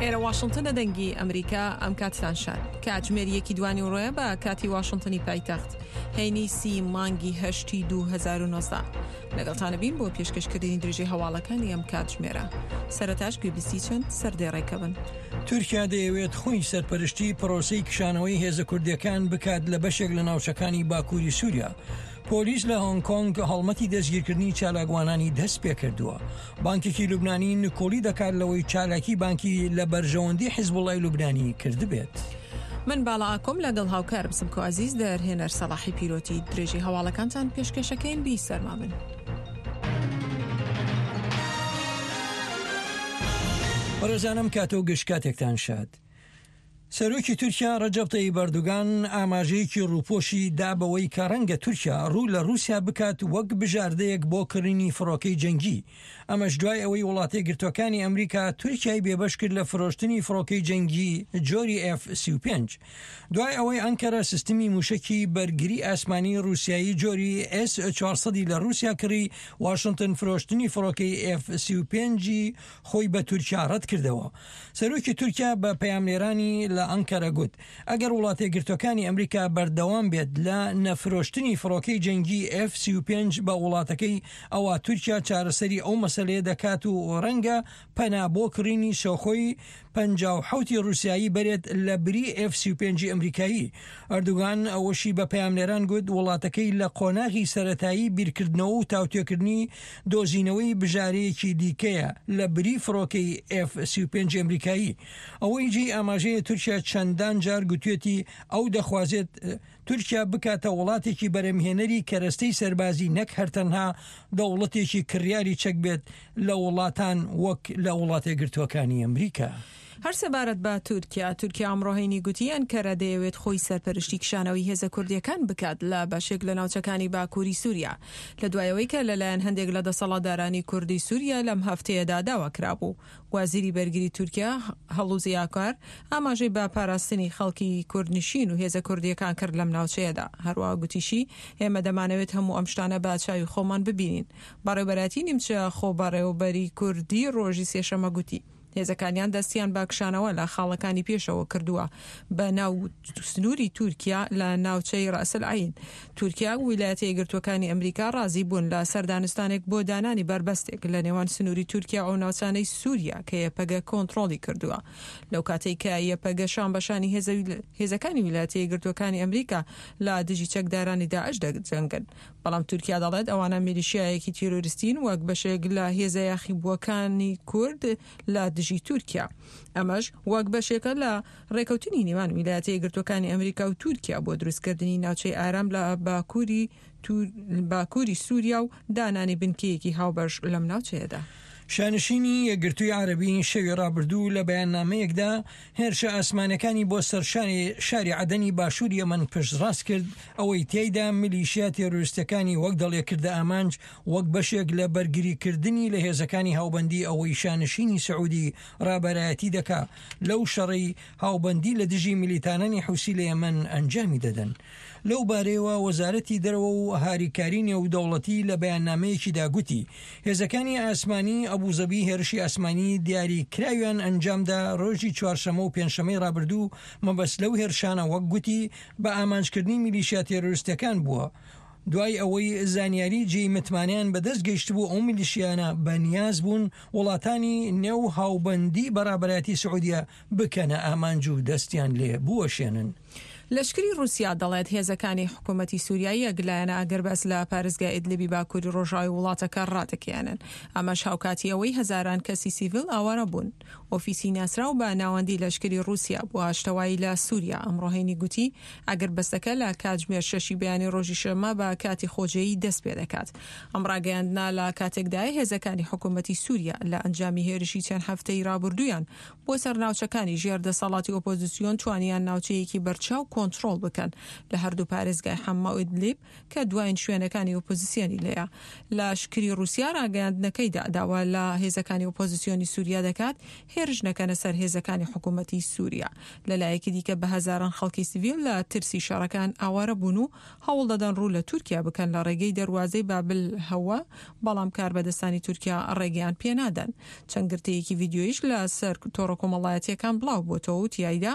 ئێرە واشنتنە دەنگی ئەمریکا ئەم کاتتان شاد کاتژمێر یەکی دوانیوڕۆیە بە کاتی واشنتنی پایتەخت هەینی سی مانگی هەشتی 2019 لەگەڵتانە بین بۆ پێشکەشکردنی درێژەی هەواڵەکانی ئەم کاتژمێرە سەرەتاش گوێبیستی چەند سەردێڕێکە بن. تورکیا دەیەوێت خۆی سەرپەرشتی پرۆسەی کشانەوەی هێزە کوردیەکان بکات لە بەشێک لە ناوچەکانی باکووری سووریا. پۆلیس لە هۆنگ کۆنگ هەڵمەتی دەستگیرکردنی چالاکوانانی دەست پێکردووە. بانکێکی لوبنانی نکۆڵی دەکات لەوەی چالاکی بانکی لە بەرژەوەندی حیزبوڵای لوبنانی کردبێت. من باڵا ئاکۆم لەگەڵ هاوکارم سمکۆ عەزیز دەرهێنەر سەڵاحی پیرۆتی درێژەی هەواڵەکانتان پێشکەشەکەین بی سەرما بن. بەڕێزانم کاتە و گشت کاتێکتان شاد. سەرۆکی تورکیا ڕەجەب تەیب ئەردوگان ئاماژەیەکی ڕووپۆشی دا بەوەی کە ڕەنگە تورکیا ڕوو لە ڕووسیا بکات وەک بژاردەیەک بۆ کڕینی فڕۆکەی جەنگی، ئەمەش دوای ئەوەی وڵاتەیەکگرتووەکانی ئەمریکا تورکیای بێبەش کرد لە فرۆشتنی فڕۆکەی جەنگی جۆری ئێف 35 دوای ئەوەی ئەنکەرە سیستمی موشەکی بەرگری ئاسمانی ڕووسیایی جۆری ئێس 400 ی لە ڕووسیا کڕی، واشنتن فرۆشتنی فڕۆکەی ئێف 35 ی خۆی بە تورکیا ڕەتکردەوە. سەرۆکی تورکیا بە پەیامنێرانی لە ئەنکەرە گوت، ئەگەر وڵاتەیەکگرتووەکانی ئەمریکا بەردەوام بێت لە نەفرۆشتنی فڕۆکەی جەنگی ئێف 35 بە وڵاتەکەی، ئەوا تورکیا چارەسەری ئەو مەسەلەیە دەکات و ڕەنگە پەنا بۆ کڕینی سۆخۆی 57 ی ڕووسیایی بەرێت لە بری ئێف 35 ی ئەمریکایی. ئەردوگان ئەوەشی بە پەیامنێران گوت، وڵاتەکەی لە قۆناغی سەرەتایی بیرکردنەوە و تاوتوێکردنی دۆزینەوەی بژارەیەکی دیکەیە لە بری فڕۆکەی ئێف 35 ئەمریکایی. ئەوەی جێی ئاماژەیە تورکیا چەندان جار گوتوێتی ئەو دەخوازێت تورکیا بکاتە وڵاتێکی بەرهەمهێنەری کەرەستەی سەربازی نەک هەر تەنها دەوڵەتێکی کڕیاری چەک بێت لە وڵاتان وەک لە وڵاتەیەکگرتووەکانی ئەمریکا. هەر سەبارەت بە تورکیا، تورکیا ئەمڕۆ هەینی گوتی ئەنکەرە دەیەوێت خۆی سەرپەرشتی کشانەوەی هێزە کوردییەکان بکات لە بەشێک لە ناوچەکانی باکووری سووریا لە دوای ئەوەی کە لەلایەن هەندێک لە دەسەڵاتدارانی کوردی سووریا لەم هەفتەیەدا داوا کرابوو. وەزیری بەرگری تورکیا هەڵوزی ئاکار ئاماژەی بە پاراستنی خەڵکی کوردنشین و هێزە کوردییەکان کرد لەم ناوچەیەدا. هەروەها گوتیشی ئێمە دەمانەوێت هەموو ئەم شتانە بە چاوی خۆمان ببینین. بەڕێوەبەرایەتی نیمچە خۆبەڕێوەبەری کوردی ڕۆژی سێشەممە گوتی هێزەکانیان دەستیان بە کشانەوە لە خاڵەکانی پێشەوە کردووە بە ناو سنووری تورکیا لە ناوچەی ڕەئس العین. تورکیا و ویلایەتە یەکگرتووەکانی ئەمریکا ڕازی بوون لە سەر دانوستانێک بۆ دانانی بەربەستێک لە نێوان سنووری تورکیا و ئەو ناوچانەی سووریا کە یەپەگە کۆنتڕۆڵی کردووە لەو کاتەی کە یەپەگە شان بە شانی هێزەکانی ویلایەتە یەکگرتووەکانی ئەمریکا لە دژی چەکدارانی داعش دەجەنگن. بەڵام تورکیا دەڵێت ئەوانە میلیشیایەکی تیرۆریستین وەک بەشێک لە هێزە یاخیبووەکانی کورد لە دژی تورکیا. ئەمەش وەک بەشێکە لە ڕێکەوتنی نێوان ویلایەتە یەکگرتووەکانی ئەمریکا و تورکیا بۆ دروستکردنی ناوچەی ئارام لە باکووری باکووری سووریا و دانانی بنکەیەکی هاوبەش لەم ناوچەیەدا. شانشینی یەکگرتووی عەرەبی شەوی ڕابردوو لە بەیاننامەیەکدا هێرشە ئاسمانیەکانی بۆ سەر شاری عەدەنی باشووری یەمەن پشتڕاست کرد، ئەوەی تیایدا میلیشیا تێرۆریستەکانی وەک دەڵێ کردە ئامانج وەک بەشێک لە بەرگریکردنی لە هێزەکانی هاوبەندی ئەوەی شانشینی سعودی ڕابەرایەتی دەکا لەو شەڕەی هاوبەندی لە دژی میلیتانانی حوسی لە یەمەن ئەنجامی دەدەن. لەو بارەیەوە وەزارەتی دەرەوە و هاریکاری نێودەوڵەتی لە بەیاننامەیەکیدا گوتی، هێزەکانی ئاسمانی ئەبوزەبی هێرشی ئاسمانی دیاری کراویان ئەنجامدا رۆژی چوارشەمە و پێنجشەمەی رابردوو، مەبەست لەو هێرشانە وەک گوتی بە ئامانجکردنی میلیشیا تێرۆریستیەکان بووە، دوای ئەوەی زانیاری جێی متمانەیان بەدەست گەیشتبوو ئەو میلیشیانە بە نیاز بوون وڵاتانی نێو هاوبەندی بە رابەرایەتی سعودیە بکەنە ئامانج و دەستیان لێ بوەشێنن. لەشکری ڕووسیا دەڵێت هێزەکانی حکوومەتی سووریا یەک لایەنە ئاگربەست لە پارێزگای ئیدلبی باکووری ڕۆژاوای وڵاتەکە ڕادەگەیەنن، ئەمەش هاوکاتی ئەوەی هەزاران کەسی سیڤیل ئاوارە بوون. ئۆفیسی ناسراو بە ناوەندی لەشکری ڕووسیا بۆ ئاشتەوایی لە سووریا ئەمڕۆ هەینی گوتی ئاگربەستەکە لە کاتژمێر شەشی بەیانی ڕۆژی شەممە بە کاتی خۆجێیی دەست پێدەکات. ئەم ڕاگەیاندنە لە کاتێکدایە هێزەکانی حکوومەتی سووریا لە ئەنجامی هێرشی چەند هەفتەی ڕابردوویان بۆ سەر ناوچەکانی ژێر دەسەڵاتی ئۆپۆزسیۆن توانیان ناوچەیەکی بەرچاو. کۆنترۆڵ بکەن لە هەردوو پارێزگای حەمما و ئیدلیب کە دواین شوێنەکانی ئۆپۆزسیۆنی لێیە. لەشکری ڕووسیا ڕاگەیاندنەکەیدا داوا لە هێزەکانی ئۆپۆزسیۆنی سووریا دەکات هێرش نەکەنە سەر هێزەکانی حکوومەتی سووریا. لە لایەکی دیکە بە هەزاران خەڵکی سڤیل لە ترسی شەڕەکان ئاوارە بوون و هەوڵ دەدەن ڕوو لە تورکیا بکەن لە ڕێگەی دەروازەی بابلهوە، بەڵام کاربەدەستانی تورکیا ڕێگەیان پێ نادەن. چەند گرتەیەکی ڤیدیۆییش لە سەر تۆڕە کۆمەڵایەتییەکان بڵاو بۆتەوە و تیایدا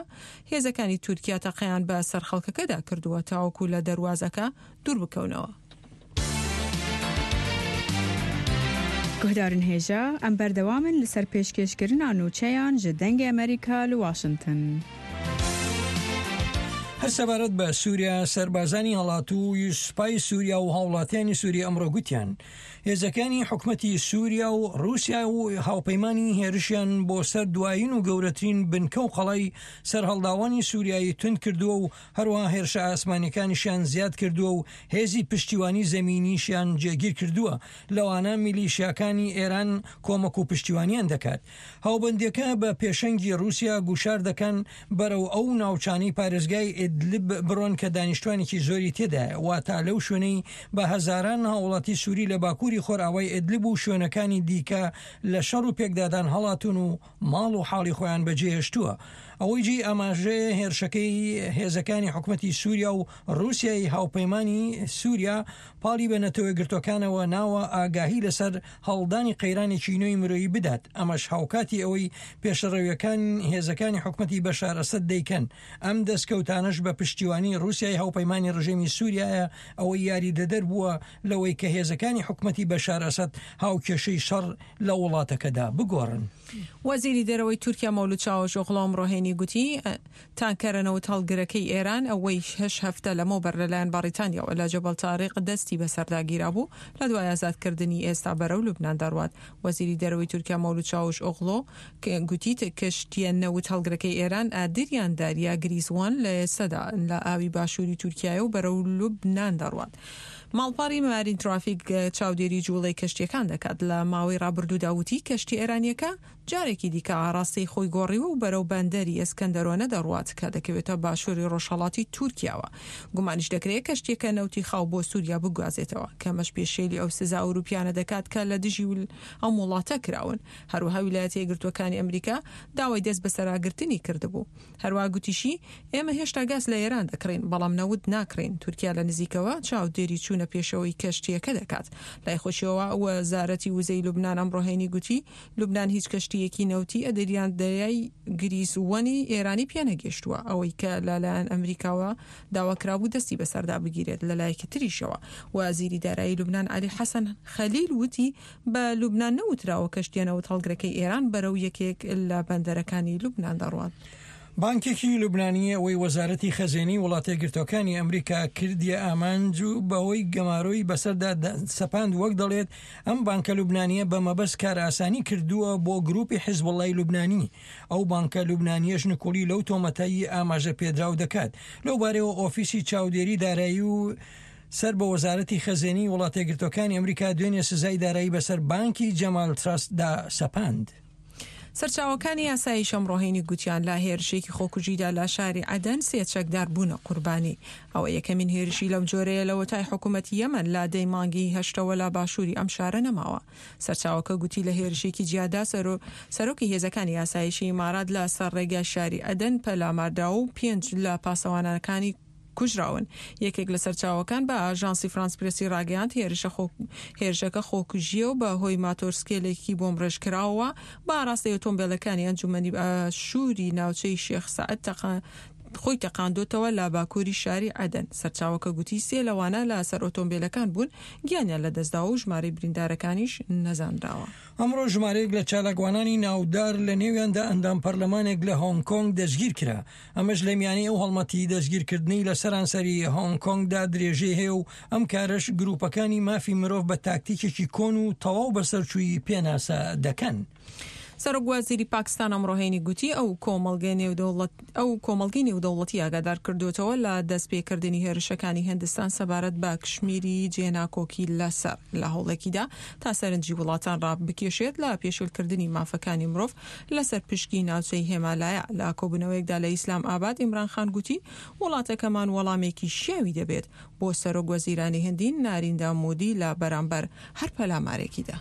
هێزەکانی تورکیا تەقەیان بە سەر خەڵکەکەدا کردووە تاوەکو لە دەروازەکە دوور بکەونەوە. Guhdarên hêja, em berdewam in li ser pêşkêşkirina nûçeyan ji Dengê Amerîka li Washington. هەر سەبارەت بە سووریا، سەربازانی هەڵاتووی سوپای سووریا و هاوڵاتیانی سووری ئەمڕۆ گوتیان، هێزەکانی حکومەتی سووریا و ڕووسیا و هاوپەیمانانی هێرشیان بۆ سەر دوایین و گەورەترین بنکە و قەڵای سەرهەڵداوانی سووریایی توند کردووە و هەروەها هێرشە ئاسمانیەکانیشیان زیاد کردووە و هێزی پشتیوانی زەمینیشیان جێگیر کردووە، لەوانە میلیشیاکانی ئێران کۆمەک و پشتیوانیان دەکات. هاوبەندیەکە بە پێشەنگی ڕووسیا گوشار دەکەن بەرەو ئەو ناوچانەی پارێزگای ئیدلب بڕۆن کە دانیشتوانێکی زۆری تێدایە، واتا لەو شوێنەی بە هەزاران هاوڵاتی سوری لە باکووری خۆرئاوای ئیدلب و شوێنەکانی دیکە لە شەڕ و پێکدادان هەڵاتوون و ماڵ و حاڵی خۆیان بەجێهێشتووە. ئەوەی جێی ئاماژەیە هێرشەکەی هێزەکانی حکومەتی سوریا و ڕووسیای هاوپەیمانی سوریا پاڵی بە نەتەوەیەکگرتووەکانەوە ناوە ئاگاهی لەسەر هەڵدانی قەیرانێکی نوێی مرۆیی بدات، ئەمەش هاوکاتی ئەوەی پێشڕەویەکان هێزەکانی حکومەتی بەشار ئەسەد دەیکەن، ئەم دەستکەوتانەش بە پشتیوانی ڕووسیای هاوپەیمانی ڕژێمی سوریایە، ئەوەی یاریدەدەر بووە لەوەی کە هێزەکانی حکومەتی بەشار ئەسەد هاوکێشەی شەڕ لە وڵاتەکەدا بگۆڕن. وەزیری دەرەوەی تورکیا مەولود چاوەشئۆغڵو ئەمڕۆ هەینی گوتی، تانکەرە نەوتهەڵگرەکەی ئێران ئەوەی شەش هەفتە لەمەوبەر لەلایەن بەڕیتانیاوە لە جەبەل تاریق دەستی بەسەردا گیرابوو، لە دوای ئازادکردنی ئێستا بەرەو لوبنان دەڕوات. وەزیری دەرەوەی تورکیا مەولود چاوش ئۆغڵۆ گوتی، کەشتییە نەوتهەڵگرەکەی ئێران ئادریان داریا گریس وان لە ئێستادا لە ئاوی باشووری تورکیایە و بەرەو لوبنان دەڕوات. ماڵپەڕی مارین ترافیک چاودێری جووڵەی کەشتییەکان دەکات لە ماوەی ڕابردوودا وتی، کەشتییە ئێرانییەکە جارێکی دیکە ئاڕاستەی خۆی گۆڕیوە و بەرەو بەندەری ئەسکەندەرۆنە دەڕوات کە دەکەوێتە باشووری ڕۆژهەڵاتی تورکیاوە. گومانیش دەکرێت کەشتییەکە نەوتی خاو بۆ سووریا بگوازێتەوە، کە ئەمەش پێشێلی ئەو سزا ئەوروپییانە دەکات کە لە دژی ئەم وڵاتە کراون. هەروەها ویلایەتە یەکگرتووەکانی ئەمریکا داوای دەستبەسەراگرتنی کردبوو. هەروەها گوتیشی، ئێمە هێشتا گاز لە ئێران دەکڕین، بەڵام نەوت ناکڕین. تورکیا لە نزیکەوە چاودێری چوونە پێشەوەی کەشتییەکە دەکات. لای خۆشیەوە وەزارەتی وزەی لوبنان ئەمڕۆ هەینی گوتی، لوبنان هیچ کەشتییەکی نەوتی ئەدریان دەریای گریس وەنی ئێرانی پێنەگەیشتووە، ئەوەی کە لە لایەن ئەمریکاوە داواکرابوو دەستی بەسەردا بگیرێت. لە لایەکی تریشەوە وەزیری دارایی لوبنان عەلی حەسەن خەلیل وتی، بە لوبنان نەوتراوە کەشتییە نەوتهەڵگرەکەی ئێران بەرەو یەکێک لە بەندەرەکانی لوبنان دەڕوات. بانکێکی لوبنانی ئەوەی وەزارەتی خەزێنەی وڵاتەیەکگرتووەکانی ئەمریکا کردیە ئامانج و بەهۆی گەمارۆی بەسەردا سەپاند وەک دەڵێت ئەم بانکە لوبنانیە بە مەبەست کارئاسانی کردووە بۆ گروپی حزبوڵای لوبنانی ئەو بانکە لوبنانیەش نکوڵی لەو تۆمەتەی ئاماژە پێدراو دەکات لەوبارەیەوە ئۆفیسی چاودێری دارایی و سەر بە وەزارەتی خەزێنەی وڵاتەیەکگرتووەکانی ئەمریکا دوێنێ سزای دارایی بەسەر بانکی جەمال ترەست دا سەپاند. سەرچاوەکانی ئاسایش ئەمڕۆ هەینی گوتیان لە هێرشێکی خۆکوژیدا لە شاری عەدەن سێ چەکدار بوونە قوربانی. ئەوە یەکەمین هێرشی لەم جۆرەیە لەوەتای حکومەتی یەمەن لە دەی مانگی هەشتەوە لە باشووری ئەم شارە نەماوە. سەرچاوەکە گوتی لە هێرشێکی جیادا سەرۆکی هێزەکانی ئاسایشی ئیمارات لە سەر ڕێگای شاری عەدەن پەلاماردراوە و پێنج لە پاسەوانەکانی کوژراون. یەکێک لە سەرچاوەکان بە ئاژانسی فرانس پرێسی ڕاگەیاند، هێرشەکە خۆکوژییە و بە هۆی ماتۆرسکێلێکی بۆمبڕێژکراوەوە بە ئاراستەی ئۆتۆمبێلەکانی ئەنجومەنی باشووری ناوچەی شێخ سەعد خۆی تەقاندۆتەوە لە باکووری شاری عەدەن. سەرچاوەکە گوتی سێ لەوانە لە سەر ئۆتۆمبێلەکان بوون گیانیان لەدەستداوە و ژمارەی بریندارەکانیش نەزانراوە. ئەمڕۆ ژمارەیەک لە چالاکوانانی ناودار لە نێویاندا ئەندام پەرلەمانێک لە هۆنگ کۆنگ دەستگیرکرا، ئەمەش لە میانەی ئەو هەڵمەتی دەستگیرکردنەی لە سەرانسەری هۆنگ کۆنگدا درێژەی هەیە و ئەم کارەش گروپەکانی مافی مرۆڤ بە تاکتیکێکی کۆن و تەواو بەسەرچووی پێناسە دەکەن. سەرۆک وەزیری پاکستان ئەمڕۆ هەینی گوتی ئەو کۆمەڵگەی نێودەوڵەت ئەو کۆمەڵگەی نێودەوڵەتی ئاگادار کردووەتەوە لە دەستپێکردنی هێرشەکانی هندستان سەبارەت بە کشمیری جێناکۆکی لەسەر لە هەوڵێکیدا تا سەرنجی وڵاتان ڕابکێشێت لە پێشێلکردنی مافەکانی مرۆڤ لەسەر پشکی ناوچەی هێمالایا. لە کۆبوونەوەیەکدا لە ئیسلام ئاباد ئیمران خان گوتی وڵاتەکەمان وەڵامێکی شیاوی دەبێت بۆ سەرۆک وەزیرانی هندی ناریندا مودی لە بەرامبەر هەر پەلامارێکیدا.